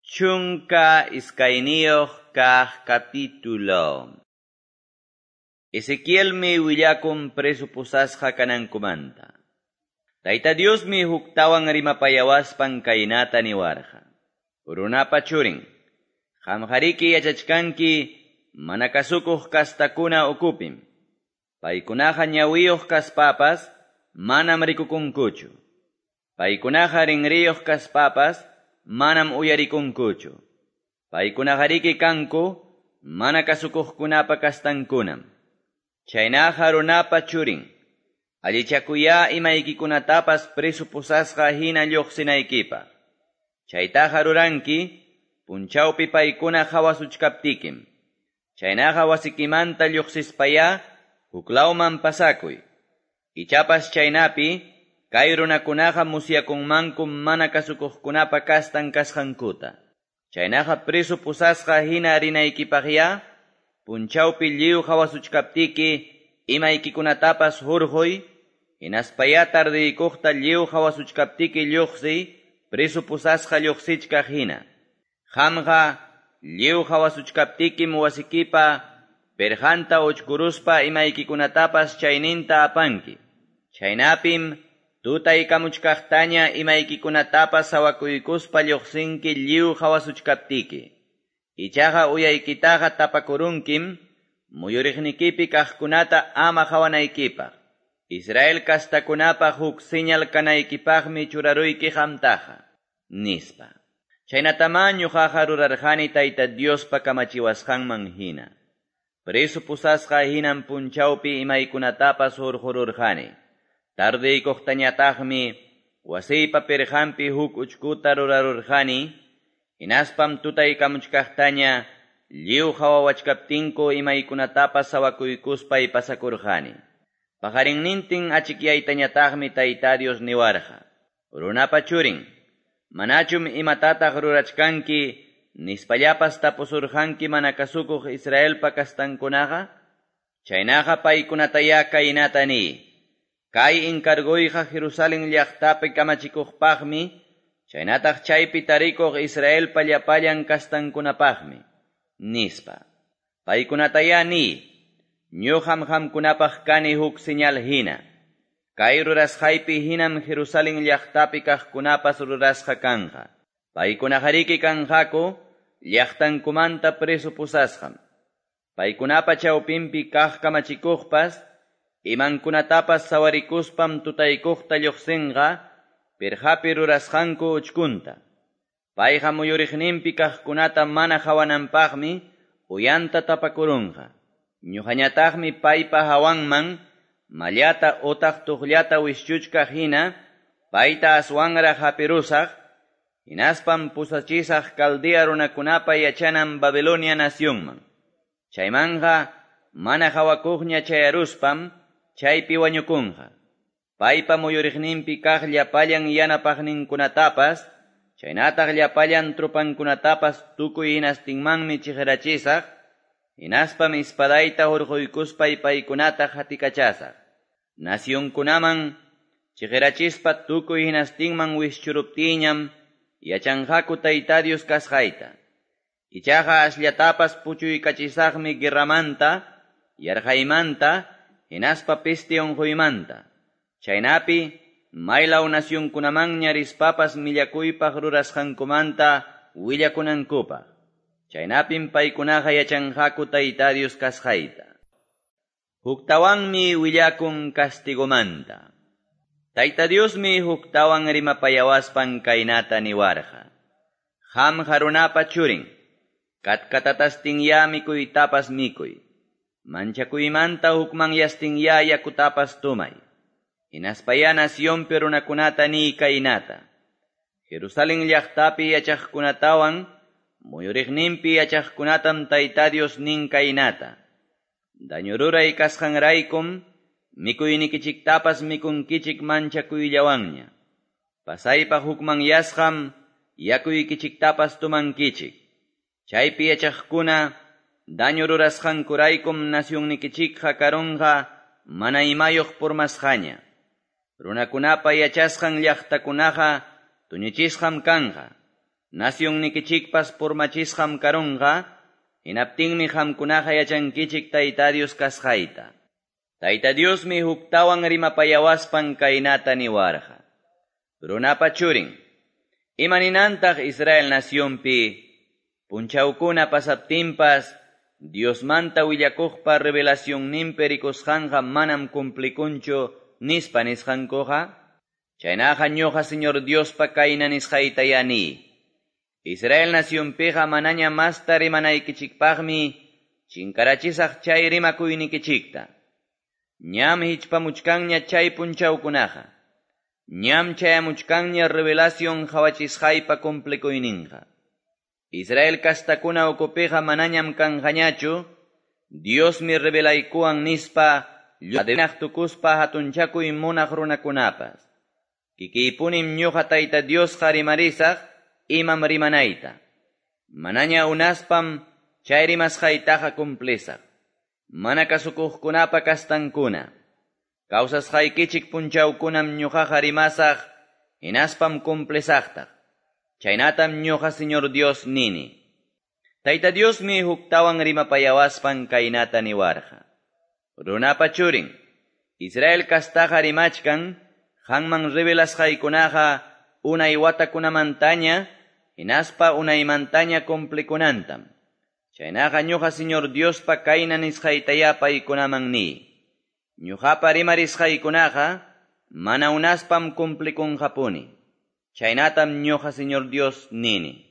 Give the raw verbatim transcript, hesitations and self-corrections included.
Chunka iskayniyuq kaq capítulo. Ezequielmi willakun preso pusasqa kanankumanta. Tayta Diosmi huktawan rimapayawaspan kaynata niwarqa. Runapa churin, qamqariki yachachkanki mana kasukuq kastakuna ukupim. Paykunaqa ñawiyuq kaspapas manam rikukunkuchu. Paykunaqa rinriyuq kaspapas manam uyarikunkuchu. Paykunaqariki kanku mana kasukuqkunapa kastankunam. Chaynaqa runapa churin, allichakuya imaykikunatapas preso pusasqa hina lluqsinaykipaq. Chaytaqa ruranki punchawpi paykuna qhawasuchkaptikim. Chaynaqa wasikimanta lluqsispaya huklawman pasakuy. Ichapas chaynapi kay runakunaqa musyakunmanku mana kasukuqkunapa kastan kasqankuta. Chaynaqa preso pusasqa hina rinaykipaqya punchawpi lliw qhawasuchkaptiki imaykikunatapas hurquy, hinaspaya tardiykuqta lliw qhawasuchkaptiki lluqsiy preso pusasqa lluqsichkaq hina. Qamqa lliw qhawasuchkaptikim wasikipa perqanta uchkuruspa imaykikunatapas chayninta apanki. Chaynapim tutaykamuchkaqtaña imaykikunatapas sawakuykuspa lluqsinki lliw qhawasuchkaptiki. Ichaqa uyaykitaqa tapakurunkim muyuriqnikipi kaqkunata ama qhawanaykipaq. Israel kastakunapaq huk señal kanaykipaqmi churaruyki qamtaqa, nispa. Chaynatamá ñuqaqa rurarqani Tayta Diospa kamachiwasqanman hina. Preso pusasqa hinan punchawpi imaykunatapas hurqururqani. Tardiykuqtañataqmi wasiypa pirqanpi huk uchkuta rurarurqani, hinaspam tutaykamuchkaqtaña lliw qhawawachkaptinku imaykunatapas sawakuykuspay pasakurqani. Paqarinnintin achikyaytañataqmi Tayta Dios niwarqa. Runapa churin, manachum imatataq rurachkanki nispallapas tapusurqanki mana kasukuq Israelpa kastankunaqa? Chaynaqa paykunataya kaynata niy. Kay encargoyqa Jerusalén llaqtapi kamachikuqpaqmi, chaynataq chaypi tarikuq Israelpa llapallan kastankunapaqmi, nispa. Paykunataya niy, ñuqam qamkunapaq kani huk señal hina. Kay rurasqaypi hinam Jerusalén llaqtapi kaqkunapas rurasqa kanqa. Paykunaqariki kanqaku llaqtankumanta preso pusasqam. Paykunapa chawpinpi kaq kamachikuqpas imankunatapas sawarikuspam tutaykuqta lluqsinqa pirqapi rurasqanku uchkunta. Payqa muyuriqninpi kaqkunata mana qhawananpaqmi uyanta tapakurunqa. Ñuqañataqmi paypa hawanman mallata utaq tuqllata wischuchkaq hina payta aswanraq hapirusaq, hinaspam pusachisaq Caldea runakunapa yachanan Babilonia nacionman. Chaymanqa mana hawakuqña chayaruspam chaypi wañukunqa. Paypa muyuriqninpi kaq llapallan yanapaqninkunatapas, chaynataq llapallan tropankunatapas tukuy hinastinmanmi chiqirachisaq, hinaspam espadayta hurquykuspay paykunata qatikachasaq. Nacionkunaman chiqirachispa tukuy hinastinman wischuruptiñam yachanqaku Tayta Dios kasqayta. Ichaqa asllatapas puchuykachisaqmi guerramanta, yarqaymanta, hinaspa peste unquymanta. Chaynapi maylaw nacionkunamanña rispapas millakuypaq rurasqankumanta willakunankupaq. Chaynapim paykunaqa yachanqaku Tayta Dios kasqayta. Huktawanmi willakun castigomanta. Tayta Diosmi huktawan rimapayawaspan kaynata niwarqa. Qamqa runapa churin, katkatatastinya mikuytapas mikuy. Manchakuymanta hukmanyastinya yakutapas tumay. Hinaspaya nacionpi runakunata niy kaynata. Jerusalén llaqtapi yachaqkunatawan muyuriqninpi yachaqkunatam Tayta Dios nin kaynata. Daño ruray kasqanraykum mikuynikichiktapas mikunkichik manchakuyllawanña. Pasaypaq hukmanyasqam yakuykichiktapas tumankichik. Chaypi yachaqkuna daño rurasqankuraykum nacionnikichikqa karunqa mana imayuq purmasqaña. Runakunapa yachasqan llaqtakunaqa tuñichisqam kanqa. Nacionnikichikpas purmachisqam karunqa, hinaptinmi qamkunaqa yachankichik Tayta Dios kasqayta. Tayta Diosmi huktawan rimapayawaspan kaynata niwarqa. Runapa churin, imaninantaq Israel nacionpi, punchawkuna pasaptinpas, Diosmanta willakuqpa revelacionninpi rikusqanqa manam cumplikunchu nispa nisqankuqa? Chaynaqa ñuqa Señor Diospa kayna nisqaytayá niy. Israel nacionpiqa manaña masta rimanaykichikpaqmi chinkarachisaq chay rimakuynikichikta. Ñam hichpamuchkanña chay punchawkunaqa. Ñam chayamuchkanña revelación qawachisqaypa cumplikuyninqa. Israel kastakuna ukupiqa manañam kanqañachu, Diosmi revelaykuwan nispa lluqnaq tukuspa hatunchakuy munaq runakunapas. Kikiypunim ñuqa Tayta Diosqa rimarisaq imam rimanayta. Manaña unaspam chay rimasqaytaqa cumplisaq. Mana kasukuqkunapa kastankuna. Kawsasqaykichik punchawkunam ñuqaqa rimasaq, hinaspam cumplisaqtaq. Chaynatam ñuqa Señor Dios nini. Tayta Diosmi huktawan rimapayawaspan kaynata niwarqa. Runapa churin, Israel kastaqa rimachkan, qanman revelasqaykunaqa unay watakunamantaña, hinaspa unaymantaña cumplikunantam. Chaynaqa ñuqa Señor Diospa kayna nisqaytayá paykunaman niy. Ñuqapa rimarisqaykunaqa mana unaspam cumplikunqapuni. Chaynatam ñuqa Señor Dios nini.